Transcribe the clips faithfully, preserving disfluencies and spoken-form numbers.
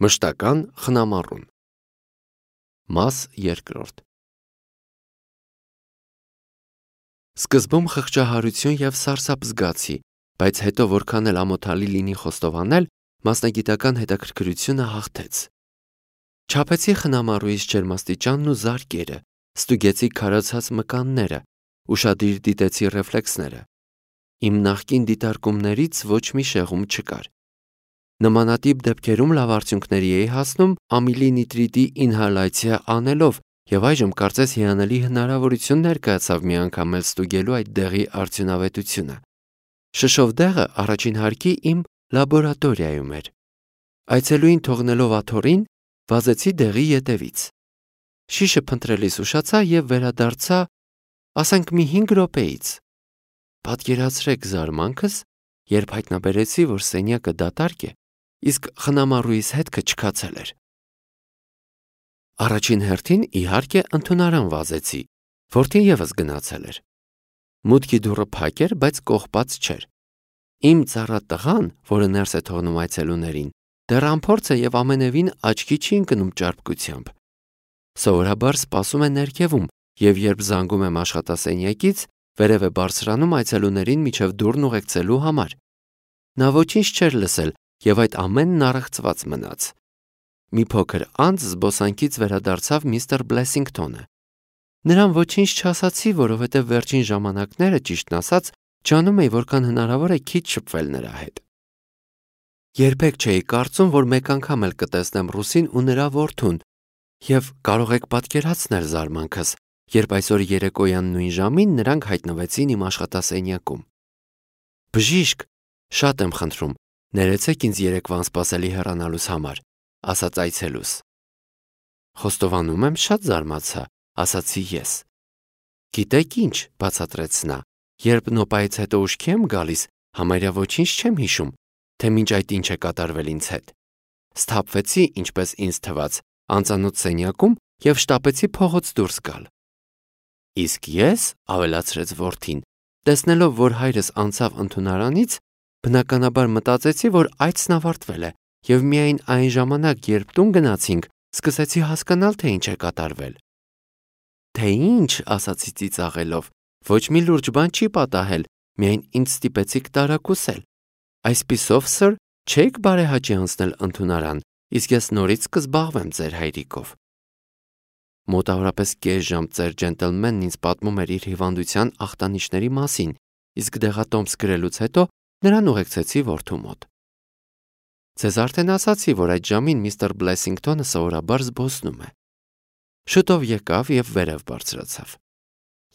Մշտական խնամառուն։ Մաս երկրորդ։ Սկզբում խղճահարություն և սարսափ զգացի, բայց հետո որքան էլ ամոթալի լինի խոստովանել, մասնագիտական հետաքրքրությունը հաղթեց։ Չափեցի խնամառուից ջերմաստիճանն ու զարկերը, ստուգեցի քարացած մկանները, ուշադիր դիտեցի ռեֆլեքսները։ Իմ նախկին դիտարկումներից ոչ մի շեղում չկար։ Նմանատիպ դեպքերում լավ արդյունքների էի հասնում ամիլի նիտրիտի ինհալյացիա անելով, և այժմ կարծես հիանալի հնարավորություն ներկայացավ մի անգամ էլ ստուգելու այդ դեղի արդյունավետությունը։ Շշով դեղը առաջին հարկի իմ լաբորատորիայում էր։ Այցելուին թողնելով աթոռին, վազեցի դեղի ետևից։ Շիշը փնտրելիս ուշացա և վերադարձա, ասենք մի հինգ րոպեից։ Պատկերացրեք զարմանքս, երբ հայտնաբերեցի, որ սենյակը դատարկ է, իսկ խնամառուիս հետքը չքացել էր։ Առաջին հերթին, իհարկե, ընդունարան վազեցի, որդին ևս գնացել էր։ Մուտքի դուռը փակ էր, բայց կողպած չէր։ Իմ ծառա տղան, որը ներս է թողնում այցելուներին, դեռ անփորձ է և ամենևին աչքի չի ընկնում ճարպկությամբ։ Սովորաբար սպասում է ներքևում, և երբ զանգում եմ աշխատասենյակից, վերև է բարձրանում այցելուներին մինչև դուռն ուղեկցելու համար։ Նա ոչինչ չէր լսել, և այդ ամենն առեղծված մնաց։ Մի փոքր անց զբոսանքից վերադարձավ միստր Բլեսինգթոնը։ Նրան ոչինչ չասացի, որովհետև վերջին ժամանակները, ճիշտն ասած, ջանում էի որքան հնարավոր է քիչ շփվել նրա հետ։ Երբեք չէի կարծում, որ մեկ անգամ էլ կտեսնեմ ռուսին ու նրա որդուն, և կարող եք պատկերացնել զարմանքս, երբ այսօր երեկոյան նույն ժամին նրանք հայտնվեցին իմ աշխատասենյակում։ Բժիշկ, շատ եմ խնդրում, ներեցեք ինձ երեկվա անսպասելի հեռանալուս համար, ասաց այցելուս։ Խոստովանում եմ, շատ զարմացա, ասացի ես։ Գիտեք ինչ, բացատրեց նա, երբ նոպայից հետո ուշքի եմ գալիս, համարյա ոչինչ չեմ հիշում, թե մինչ այդ ինչ է կատարվել ինձ հետ։ Սթափվեցի, ինչպես ինձ թվաց, անծանոթ սենյակում և շտապեցի փողոց դուրս գալ։ Իսկ ես, ավելացրեց որդին, տեսնելով, որ հայրս անցավ ընդունարանից, բնականաբար մտածեցի, որ այցն ավարտվել է, և միայն այն ժամանակ, երբ տուն գնացինք, սկսեցի հասկանալ, թե ինչ է կատարվել։ Թե ինչ, ասացի ծիծաղելով, ոչ մի լուրջ բան չի պատահել, միայն ինձ ստիպեցիք տարակուսել։ Այսպիսով, սըր, չեք բարեհաճի անցնել ընդունարան, իսկ ես նորից կզբաղվեմ ձեր հայրիկով։ Մոտավորապես կես ժամ ծեր ջենտլմենն ինձ պատմում էր իր հիվանդության ախտանիշների մասին, իսկ դեղատոմս գրելուց հետո նրան ուղեկցեցի որդու մոտ։ Ձեզ արդեն ասացի, որ այդ ժամին միստր Բլեսինգթոնը սովորաբար զբոսնում է։ Շուտով եկավ և վերև բարձրացավ։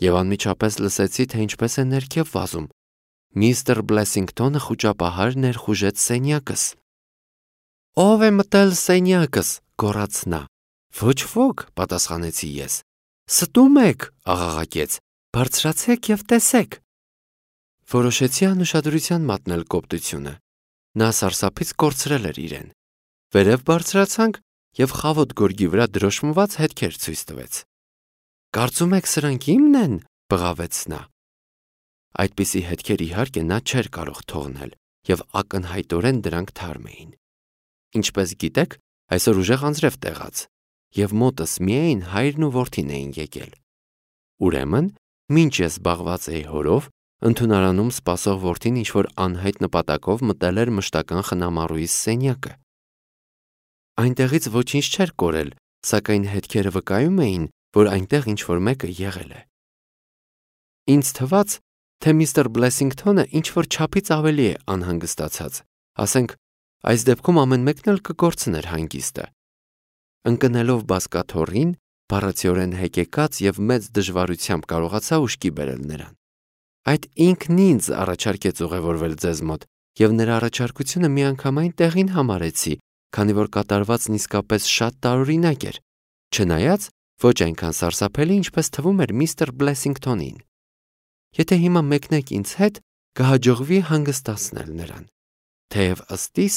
Եվ անմիջապես լսեցի, թե ինչպես է ներքև վազում։ Միստր Բլեսինգթոնը խուճապահար ներխուժեց սենյակս։ Ո՞վ է մտել սենյակս, գոռաց նա։ Ոչ ոք, պատասխանեցի ես։ Ստում եք, աղաղակեց, բարձրացեք և տեսեք։ Որոշեցի անուշադրության մատնել կոպտությունը։ Նա սարսափից կորցրել էր իրեն։ Վերև բարձրացանք և խավոտ գորգի վրա դրոշմված հետքեր ցույց տվեց։ Կարծում եք սրանք իմն են, բղավեց նա։ Այդպիսի հետքեր իհարկե նա չէր կարող թողնել, և ակնհայտորեն դրանք թարմ էին։ Ինչպես գիտեք, այսօր ուժեղ անձրև տեղաց, և մոտս միայն հայրն ու որդին էին եկել։ Ուրեմն, մինչ ես զբաղված էի հորով, ընդունարանում սպասող որդին ինչ-որ անհայտ նպատակով մտել էր մշտական խնամառուիս սենյակը։ Այնտեղից ոչինչ չէր կորել, սակայն հետքերը վկայում էին, որ այնտեղ ինչ-որ մեկը եղել է։ Ինձ թվաց, թե միստր Բլեսինգթոնը ինչ-որ չափից ավելի է անհանգստացած, ասենք, այս դեպքում ամեն մեկն էլ կկորցներ հանգիստը։ Ընկնելով բազկաթոռին, բառացիորեն հեկեկած և մեծ դժվարությամբ կարողացա ուշքի բերել նրան։ Այդ ինքն ինձ առաջարկեց ուղևորվել ձեզ մոտ, և նրա առաջարկությունը միանգամայն տեղին համարեցի, քանի որ կատարվածն իսկապես շատ տարօրինակ էր, չնայած ոչ այնքան սարսափելի, ինչպես թվում էր միստր Բլեսինգթոնին։ Եթե հիմա մեկնեք ինձ հետ, կհաջողվի հանգստացնել նրան, թեև ըստ իս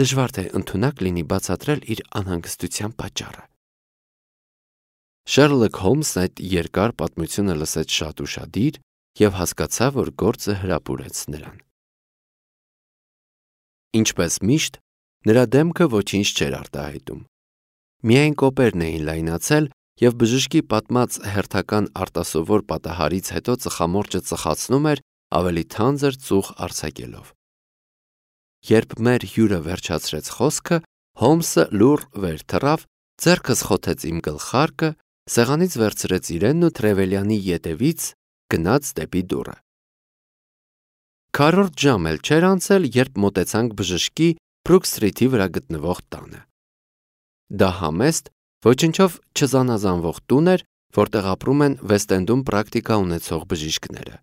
դժվար թե ընդունակ լինի բացատրել իր անհանգստության պատճառը։ Շերլոք Հոլմսն այդ երկար պատմությունը լսեց շատ ուշադիր և հասկացա, որ գործը հրապուրեց նրան։ Ինչպես միշտ, Նրա դեմքը ոչինչ չէր արտահայտում։ Միայն կոպերն էին լայնացել և բժշկի պատմած հերթական արտասովոր պատահարից հետո ծխամորճը ծխացնում էր ավելի թանձր ծուխ արձակելով։ Երբ մեր հյուրը վերջացրեց խոսքը, Հոլմսը լուռ վեր թռավ, ձեռքը խոթեց իմ գլխարկը, սեղանից վերցրեց իրենն ու Տրևելյանի ետևից գնաց դեպի դուռը։ Քառորդ ժամ էլ չէր անցել, երբ մոտեցանք բժշկի Բրուք Սթրիթի վրա գտնվող տանը։ Դա համեստ, ոչնչով չզանազանվող տուն էր, որտեղ ապրում են Վեստ-Էնդում պրակտիկա ունեցող բժիշկները։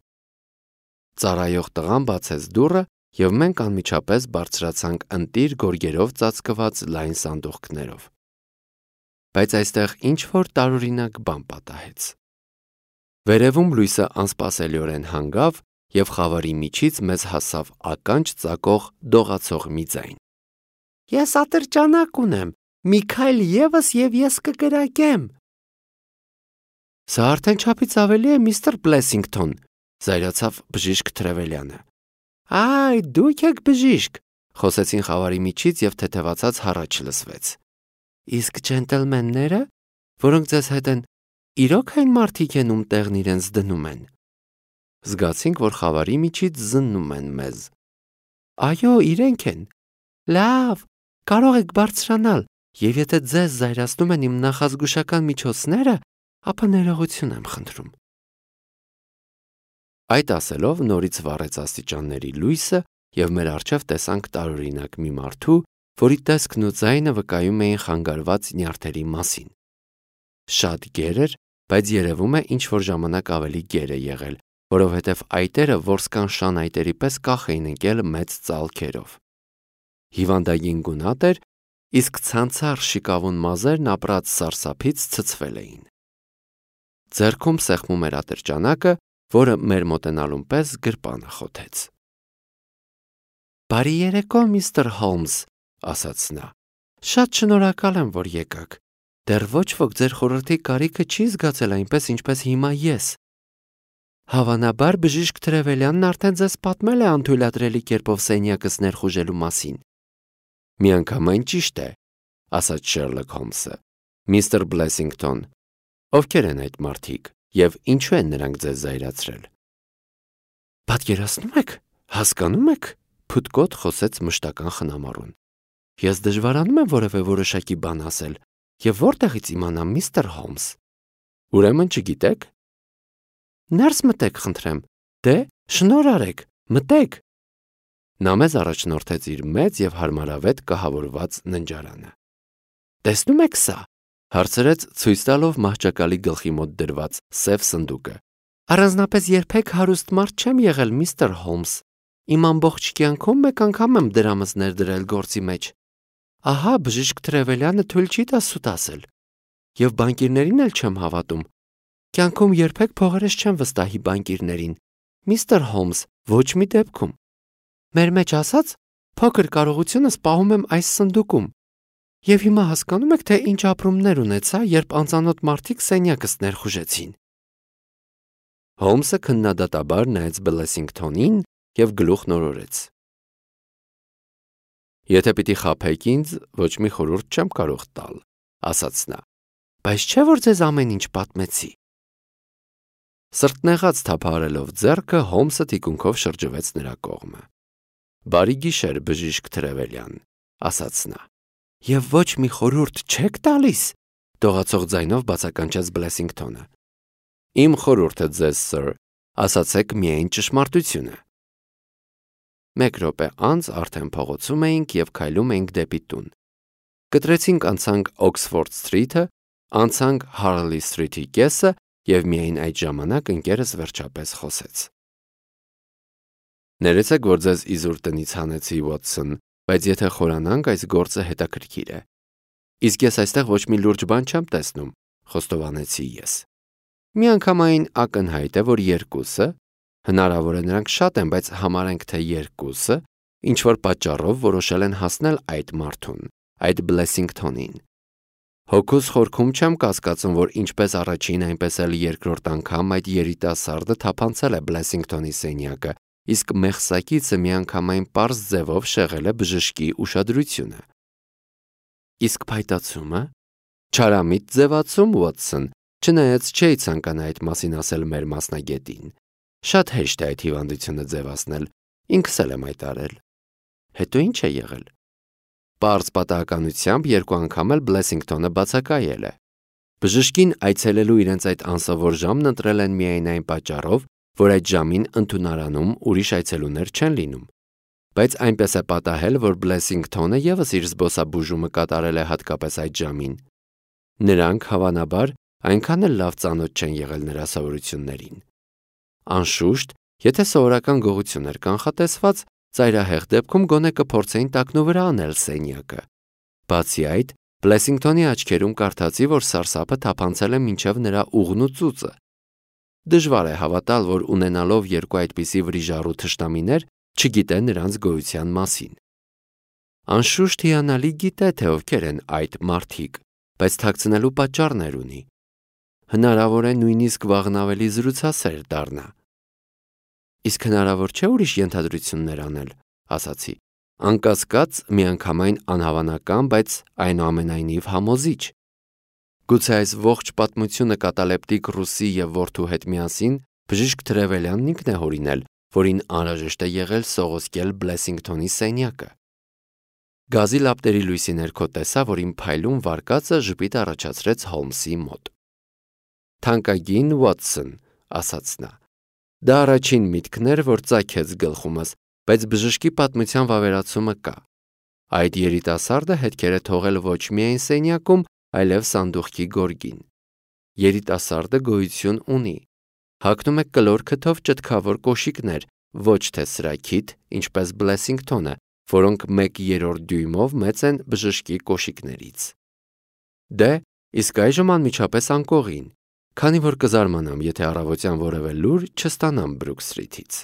Ծառայող տղան բացեց դուռը, և մենք անմիջապես բարձրացանք ընտիր գորգերով ծածկված լայն սանդուղքներով։ Բայց այստեղ ինչ-որ տարօրինակ բան պատահեց։ Վերևում լույսը անսպասելիորեն հանգավ, և խավարի միջից մեզ հասավ ականջ ծակող դողացող մի ձայն։ «Ես ատրճանակ ունեմ, մի քայլ ևս և ես կկրակեմ»։ «Սա արդեն չափից ավելի է, միստր Բլեսինգթոն», զայրացավ բժիշկ Տրևելյանը։ «Այ, դուք եք բժիշկ», խոսեցին խավարի միջից և թեթևացած հառաչ լսվեց։ «Իսկ ջենտլմենները, որոնք ձեզ հետ են, իրոք այն մարդիկ են, ում տեղն իրենց դնում են»։ Զգացինք, որ խավարի միջից զննում են մեզ։ «Այո, իրենք են»։ «Լավ, կարող եք բարձրանալ, և եթե ձեզ զայրացնում են իմ նախազգուշական միջոցները, ապա ներողություն եմ խնդրում»։ Այդ ասելով նորից վառեց աստիճանների լույսը, և մեր առջև տեսանք տարօրինակ մի մարդու, որի տեսքն ու ձայնը վկայում էին խանգարված նյարդերի մասին։ Շատ գեր էր, բայց երևում է ինչ-որ ժամանակ ավելի գեր է եղել, որովհետև այտերը որսկան շան այտերի պես կախ էին ընկել մեծ ծալքերով։ Հիվանդագին գունատ էր, իսկ ցանցառ շիկավուն մազերն ապրած սարսափից ցցվել էին։ Ձեռքում սեղմում էր ատրճանակը, որը մեր մոտենալուն պես գրպանը խոթեց։ «Բարի երեկո, միստր Հոլմս», ասաց նա։ «Շատ շնորհակալ եմ, որ եկաք։ Դեռ ոչ ոք ձեր խորհրդի կարիքը չի զգացել այնպես, ինչպես հիմա ես։ Հավանաբար բժիշկ Տրևելյանն արդեն ձեզ պատմել է անթույլատրելի կերպով սենյակս ներխուժելու մասին»։ «Միանգամայն ճիշտ է», ասաց Շերլոք Հոլմսը։ «Միստր Բլեսինգթոն, ովքեր են այդ մարդիկ և ինչու են նրանք ձեզ զայրացրել»։ «Պատկերացնում եք, հասկանում եք», փութկոտ խոսեց մշտական խնամառուն։ «Ես դժվարանում եմ որևէ որոշակի բան ասել, և որտեղից իմանամ, միստր Հոլմս»։ «Ուրեմն չգիտեք»։ «Ներս մտեք, խնդրեմ։ Դե, շնորհ արեք, մտեք»։ Նա մեզ առաջնորդեց իր մեծ և հարմարավետ կահավորված ննջարանը։ «Տեսնում եք սա», հարցրեց ցույց տալով մահճակալի գլխի մոտ դրված սև սնդուկը։ «Առանձնապես երբեք հարուստ մարդ չեմ եղել, միստր Հոլմս։ Իմ ամբողջ կյանքում մեկ անգամ եմ դրամս ներդրել գործի մեջ։ Ահա բժիշկ Տրևելյանը թույլ չի տա սուտ ասել։ Եվ բանկիրներին էլ չեմ հավատում։ Կյանքում երբեք փողերս չեմ վստահի բանկիրներին, միստր Հոլմս, ոչ մի դեպքում։ Մեր մեջ ասած, փոքր կարողությունս պահում եմ այս սնդուկում։ Եվ հիմա հասկանում եք, թե ինչ ապրումներ ունեցա, երբ անծանոթ մարդիկ սենյակս ներխուժեցին»։ Հոլմսը քննադատաբար նայեց Բլեսինգթոնին և գլուխն օրորեց։ «Եթե պիտի խաբեք ինձ, ոչ մի խորհուրդ չեմ կարող տալ», ասաց նա։ «Բայց չէ՞ որ ձեզ ամեն ինչ պատմեցի»։ Սրտնեղած թափահարելով ձեռքը, Հոլմսը թիկունքով շրջվեց նրա կողմը։ «Բարի գիշեր, բժիշկ Տրևելյան», ասաց նա։ «Եվ ոչ մի խորհուրդ չեք տալիս», դողացող ձայնով բացականչեց Բլեսինգթոնը։ «Իմ խորհուրդը ձեզ, սըր, ասացեք միայն ճշմարտությունը»։ Մեկ րոպե անց արդեն փողոցում էինք և քայլում էինք դեպի տուն։ Կտրեցինք անցանք Օքսֆորդ Սթրիթը, անցանք Հարլի Սթրիթի կեսը, և միայն այդ ժամանակ ընկերս վերջապես խոսեց։ «Ներեցեք, որ ձեզ իզուր տնից հանեցի, Ուոտսոն, բայց եթե խորանանք, այս գործը հետաքրքիր է։ Իսկ ես այստեղ ոչ մի լուրջ բան չեմ տեսնում», խոստովանեցի ես։ «Միանգամայն ակնհայտ է, որ երկուսը, հնարավոր է նրանք շատ են, բայց համարենք, թե երկուսը, ինչ-որ պատճառով որոշել են հասնել այդ մարդուն, այդ Բլեսինգթոնին։ Հոգուս խորքում չեմ կասկածում, որ ինչպես առաջին, այնպես էլ երկրորդ անգամ այդ երիտասարդը թափանցել է Բլեսինգթոնի սենյակը իսկ մեղսակիցը միանգամայն պարզ ձևով շեղել է բժշկի ուշադրությունը։ Իսկ փայտացումը, չարամիտ ձևացում, Ուոտսոն, չնայած չէի ցանկանա այդ մասին ասել մեր մասնագետին։ Շատ հեշտ է այդ հիվանդությունը ձևացնել, ինքս էլ եմ այդ արել։ Հետո ինչ է եղել։ Պարզ պատահականությամբ երկու անգամ էլ Բլեսինգթոնը բացակայել է։ Բժշկին այցելելու իրենց այդ անսովոր ժամն ընտրել են միայն այն պատճառով, որ այդ ժամին ընդունարանում ուրիշ այցելուներ չեն լինում։ Բայց այնպես է պատահել, որ Բլեսինգթոնը ևս իր զբոսաբուժումը կատարել է հատկապես այդ ժամին։ Նրանք, հավանաբար, այնքան էլ լավ ծանոթ չեն եղել նրա սովորություններին։ Անշուշտ, եթե սովորական գողություն էր կանխատեսված, ծայրահեղ դեպքում գոնե կփորձեին տակնուվրա անել սենյակը։ Բացի այդ, Բլեսինգթոնի աչքերում կարդացի, որ սարսափը թափանցել է մինչև նրա ուղն ու ծուծը։ Դժվար է հավատալ, որ ունենալով երկու այդպիսի վրիժառու թշնամիներ, չգիտե նրանց գոյության մասին։ Անշուշտ հիանալի գիտե, թե ովքեր են այդ մարդիկ, բայց թաքցնելու պատճառներ ունի։ Հնարավոր է նույնիսկ վաղն ավելի զրուցասեր դառնա։ Իսկ հնարավոր չէ ուրիշ ենթադրություններ անել, ասացի։ Անկասկած, միանգամայն անհավանական, բայց այնուամենայնիվ համոզիչ։ Գուցե այս ողջ պատմությունը կատալեպտիկ ռուսի և որդու հետ միասին բժիշկ Թրևելյանն ինքն է հորինել, որին անհրաժեշտ է եղել սողոսկել Բլեսինգթոնի սենյակը։ Գազի լապտերի լույսի ներքո տեսա, որ իմ փայլուն վարկածը ժպիտ առաջացրեց Հոլմսի մոտ։ Թանկագին Ուոտսոն, ասաց նա, դա առաջին միտքն էր, որ ծագեց գլխումս, բայց բժշկի պատմության վավերացումը կա։ Այդ երիտասարդը հետքեր է թողել ոչ միայն սենյակում, այլև սանդուղքի գորգին։ Երիտասարդը գոյություն ունի։ Հագնում է կլոր քթով ճտկավոր կոշիկներ, ոչ թե սրաքիթ, ինչպես Բլեսինգթոնը, որոնք մեկ երրորդ դյույմով մեծ են բժշկի կոշիկներից։ Դե, իսկ այժմ անմիջապես անկողին, քանի որ կզարմանամ, եթե առավոտյան որևէ լուր չստանամ Բրուք Սթրիթից։